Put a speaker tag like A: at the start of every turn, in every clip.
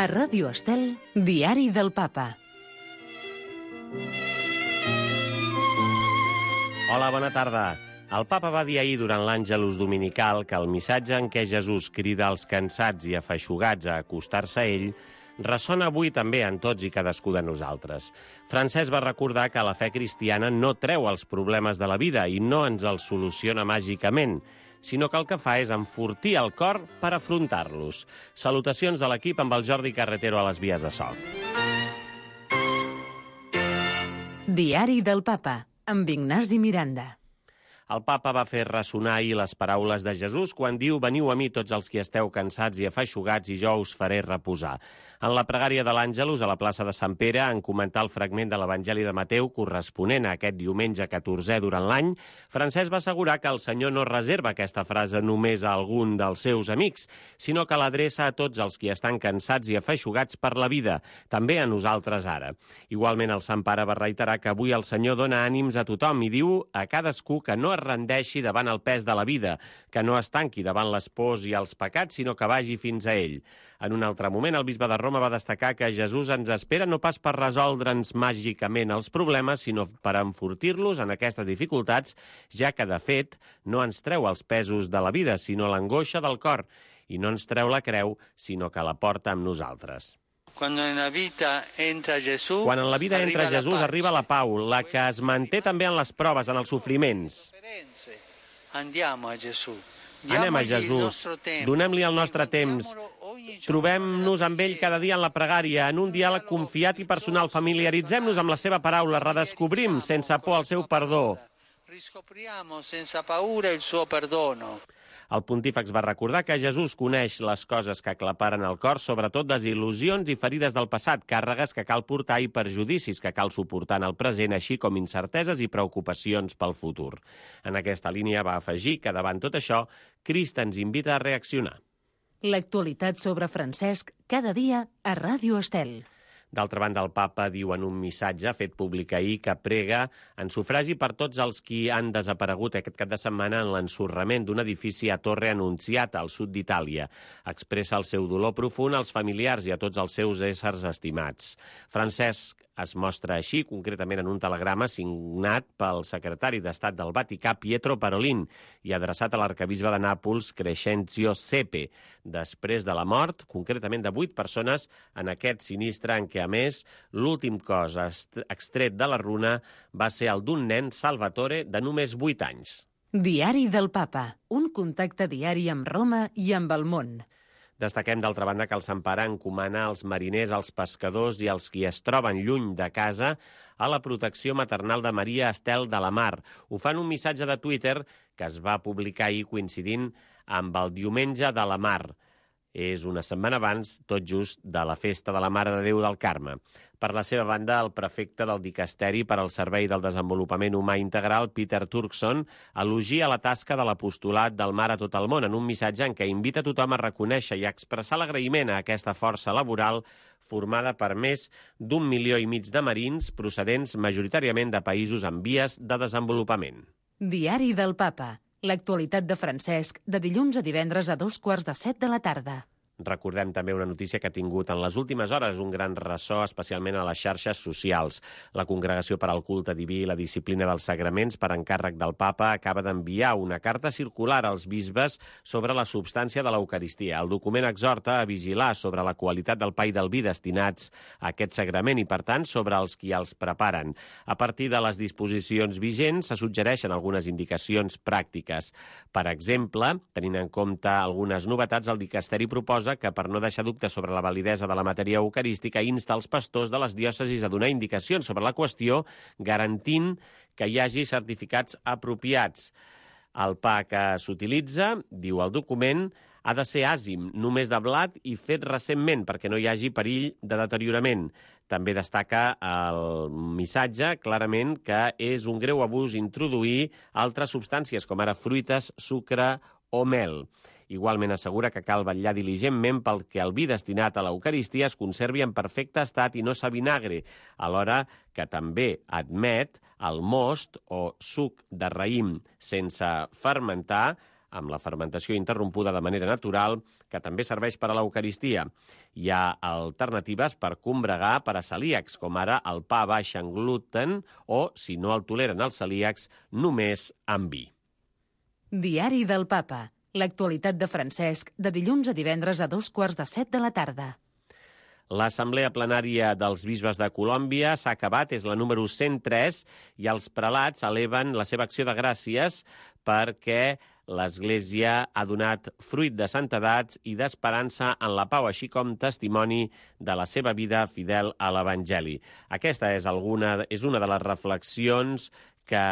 A: A Ràdio Estel, Diari del Papa.
B: Hola, bona tarda. El papa va dir ahir durant l'Àngelus dominical que el missatge en què Jesús crida als cansats i afeixugats a acostar-se a ell ressona avui també en tots i cadascú de nosaltres. Francesc va recordar que la fe cristiana no treu els problemes de la vida i no ens els soluciona màgicament, sinó que el que fa és enfortir el cor per afrontar-los. Salutacions de l'equip amb el Jordi Carretero a les vies de so.
A: Diari del Papa, amb Ignasi Miranda.
B: El papa va fer ressonar ahir les paraules de Jesús quan diu: «Veniu a mi tots els qui esteu cansats i afeixugats i jo us faré reposar». En la pregària de l'Àngelus a la plaça de Sant Pere, en comentar el fragment de l'Evangeli de Mateu corresponent a aquest diumenge 14è durant l'any, Francesc va assegurar que el Senyor no reserva aquesta frase només a algun dels seus amics, sinó que l'adreça a tots els qui estan cansats i afeixugats per la vida, també a nosaltres ara. Igualment, el Sant Pare va reiterar que avui el Senyor dona ànims a tothom i diu a cadascú que no es rendeixi davant el pes de la vida, que no es tanqui davant les pors i els pecats, sinó que vagi fins a ell. En un altre moment, el bisbe de Roma va destacar que Jesús ens espera no pas per resoldre'ns màgicament els problemes, sinó per enfortir-los en aquestes dificultats, ja que, de fet, no ens treu els pesos de la vida, sinó l'angoixa del cor, i no ens treu la creu, sinó que la porta amb nosaltres.
C: Quan en la vida entra Jesús,
B: arriba la pau, la que es manté també en les proves, en els sofriments.
C: Andiamo a Gesù.
B: Anem a Jesús, donem-li el nostre temps, trobem-nos amb ell cada dia en la pregària, en un diàleg confiat i personal, familiaritzem-nos amb la seva paraula, redescobrim sense por el seu perdó.
C: Riscopriamo senza paura il suo perdono.
B: El pontífex va recordar que Jesús coneix les coses que aclaparen el cor, sobretot desil·lusions i ferides del passat, càrregues que cal portar i perjudicis que cal suportar en el present, així com incerteses i preocupacions pel futur. En aquesta línia va afegir que davant tot això, Crist ens invita a reaccionar.
A: L'actualitat sobre Francesc cada dia a Ràdio Estel.
B: D'altra banda, el papa diu en un missatge fet públic ahir que prega en sufragi per tots els qui han desaparegut aquest cap de setmana en l'ensorrament d'un edifici a Torre Annunziata, al sud d'Itàlia. Expressa el seu dolor profund als familiars i a tots els seus éssers estimats. Francesc es mostra així, concretament en un telegrama signat pel secretari d'Estat del Vaticà, Pietro Parolin, i adreçat a l'arquebisbe de Nàpols, Crescenzio Sepe, després de la mort, concretament de 8 persones, en aquest sinistre en què, a més, l'últim cos extret de la runa va ser el d'un nen, Salvatore, de només 8 anys.
A: Diari del Papa, un contacte diari amb Roma i amb el món.
B: Destaquem, d'altra banda, que el Sant Pare encomana als mariners, als pescadors i als qui es troben lluny de casa a la protecció maternal de Maria Estel de la Mar. Ho fa en un missatge de Twitter que es va publicar ahir coincidint amb el Diumenge de la Mar. És una setmana abans, tot just, de la festa de la Mare de Déu del Carme. Per la seva banda, el prefecte del Dicasteri per al Servei del Desenvolupament Humà Integral, Peter Turkson, elogia la tasca de l'apostolat del mar a tot el món en un missatge en què invita tothom a reconèixer i a expressar l'agraïment a aquesta força laboral formada per més d'1,5 milió de marins procedents majoritàriament de països en vies de desenvolupament.
A: Diari del Papa. L'actualitat de Francesc, de dilluns a divendres a 2:15 de la tarda.
B: Recordem també una notícia que ha tingut en les últimes hores un gran ressò, especialment a les xarxes socials. La Congregació per al Culte Diví i la Disciplina dels Sagraments, per encàrrec del Papa, acaba d'enviar una carta circular als bisbes sobre la substància de l'Eucaristia. El document exhorta a vigilar sobre la qualitat del pa i del vi destinats a aquest sagrament i, per tant, sobre els qui els preparen. A partir de les disposicions vigents, se suggereixen algunes indicacions pràctiques. Per exemple, tenint en compte algunes novetats, el Dicasteri proposa que, per no deixar dubtes sobre la validesa de la matèria eucarística, insta els pastors de les diòcesis a donar indicacions sobre la qüestió, garantint que hi hagi certificats apropiats. El pa que s'utilitza, diu el document, ha de ser àsim, només de blat i fet recentment, perquè no hi hagi perill de deteriorament. També destaca el missatge clarament que és un greu abús introduir altres substàncies, com ara fruites, sucre o mel. Igualment assegura que cal vetllar diligentment perquè el vi destinat a l'Eucaristia es conservi en perfecte estat i no s'avinagre, alhora que també admet el most o suc de raïm sense fermentar amb la fermentació interrompuda de manera natural, que també serveix per a l'Eucaristia. Hi ha alternatives per combregar per a celíacs, com ara el pa baix en gluten o, si no el toleren els celíacs, només amb vi.
A: Diari del Papa. L'actualitat de Francesc, de dilluns a divendres a 2:15 de la tarda.
B: L'Assemblea Plenària dels Bisbes de Colòmbia s'ha acabat, és la número 103, i els prelats eleven la seva acció de gràcies perquè l'Església ha donat fruit de santedat i d'esperança en la pau, així com testimoni de la seva vida fidel a l'Evangeli. Aquesta és una de les reflexions que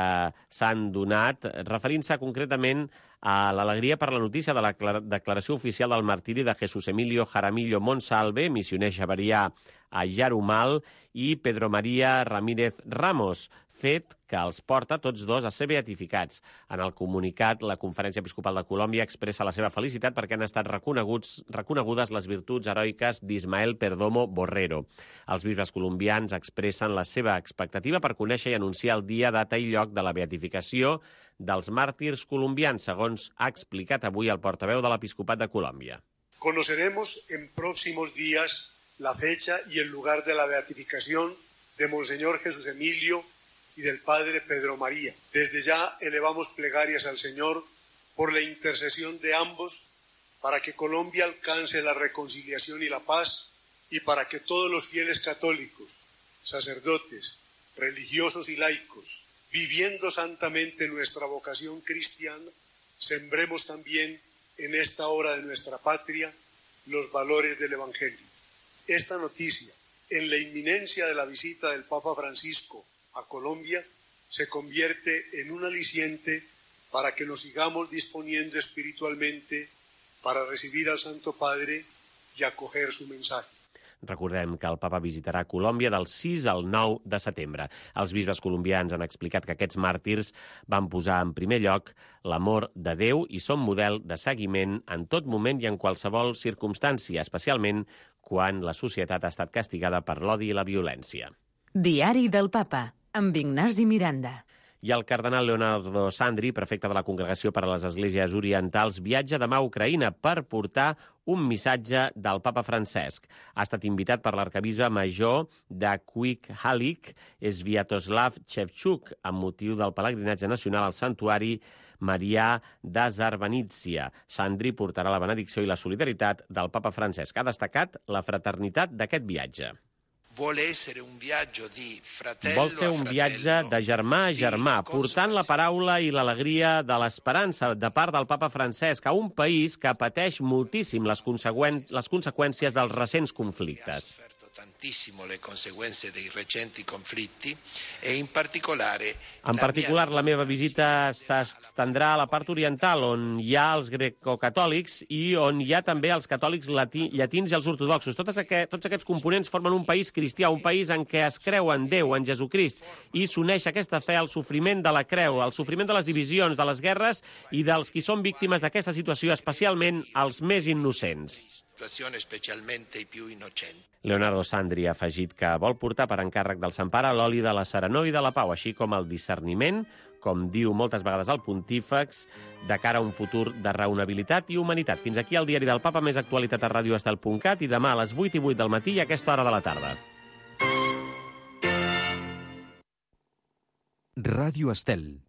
B: s'han donat, referint-se concretament a l'alegria per la notícia de la declaració oficial del martiri de Jesús Emilio Jaramillo Monsalve, missioner xaverià a Yarumal, i Pedro María Ramírez Ramos, fet que els porta tots dos a ser beatificats. En el comunicat, la Conferència Episcopal de Colòmbia expressa la seva felicitat perquè han estat reconegudes les virtuts heroiques d'Ismael Perdomo Borrero. Els bisbes colombians expressen la seva expectativa per conèixer i anunciar el dia, data i lloc de la beatificació dels màrtirs colombians, segons ha explicat avui el portaveu de l'Episcopat de Colòmbia.
D: Conoceremos en próximos días la fecha y el lugar de la beatificación de Monseñor Jesús Emilio y del Padre Pedro María. Desde ya elevamos plegarias al Señor por la intercesión de ambos para que Colombia alcance la reconciliación y la paz y para que todos los fieles católicos, sacerdotes, religiosos y laicos, viviendo santamente nuestra vocación cristiana, sembremos también en esta hora de nuestra patria los valores del Evangelio. Esta noticia, en la inminencia de la visita del Papa Francisco a Colombia, se convierte en un aliciente para que nos sigamos disponiendo espiritualmente para recibir al Santo Padre y acoger su mensaje.
B: Recordem que el papa visitarà Colòmbia del 6 al 9 de setembre. Els bisbes colombians han explicat que aquests màrtirs van posar en primer lloc l'amor de Déu i són model de seguiment en tot moment i en qualsevol circumstància, especialment quan la societat ha estat castigada per l'odi i la violència.
A: Diari del Papa, amb Ignasi Miranda.
B: I el cardenal Leonardo Sandri, prefecte de la Congregació per a les Esglésies Orientals, viatja demà a Ucraïna per portar un missatge del papa Francesc. Ha estat invitat per l'arquebisbe major de Kvikhallik, Sviatoslav Shevchuk, amb motiu del pelegrinatge nacional al santuari Marià d'Azarbanitsia. Sandri portarà la benedicció i la solidaritat del papa Francesc. Ha destacat la fraternitat d'aquest viatge. Vol ser un viatge de germà a germà, portant la paraula i l'alegria de l'esperança de part del papa Francesc a un país que pateix moltíssim les conseqüències dels recents conflictes. En particular, la meva visita s'estendrà a la part oriental, on hi ha els grecocatòlics i on hi ha també els catòlics llatins i els ortodoxos. Tots aquests components formen un país cristià, un país en què es creu en Déu, en Jesucrist, i s'uneix aquesta fe al sofriment de la creu, al sofriment de les divisions, de les guerres i dels qui són víctimes d'aquesta situació, especialment els més innocents. Leonardo Sandri ha afegit que vol portar per encàrrec del Sant Pare l'oli de la serenor i de la pau, així com el discerniment, com diu moltes vegades el pontífex, de cara a un futur de raonabilitat i humanitat. Fins aquí el Diari del Papa, més actualitat a radioestel.cat i demà a les 8:08 del matí i a aquesta hora de la tarda.
E: Ràdio Estel.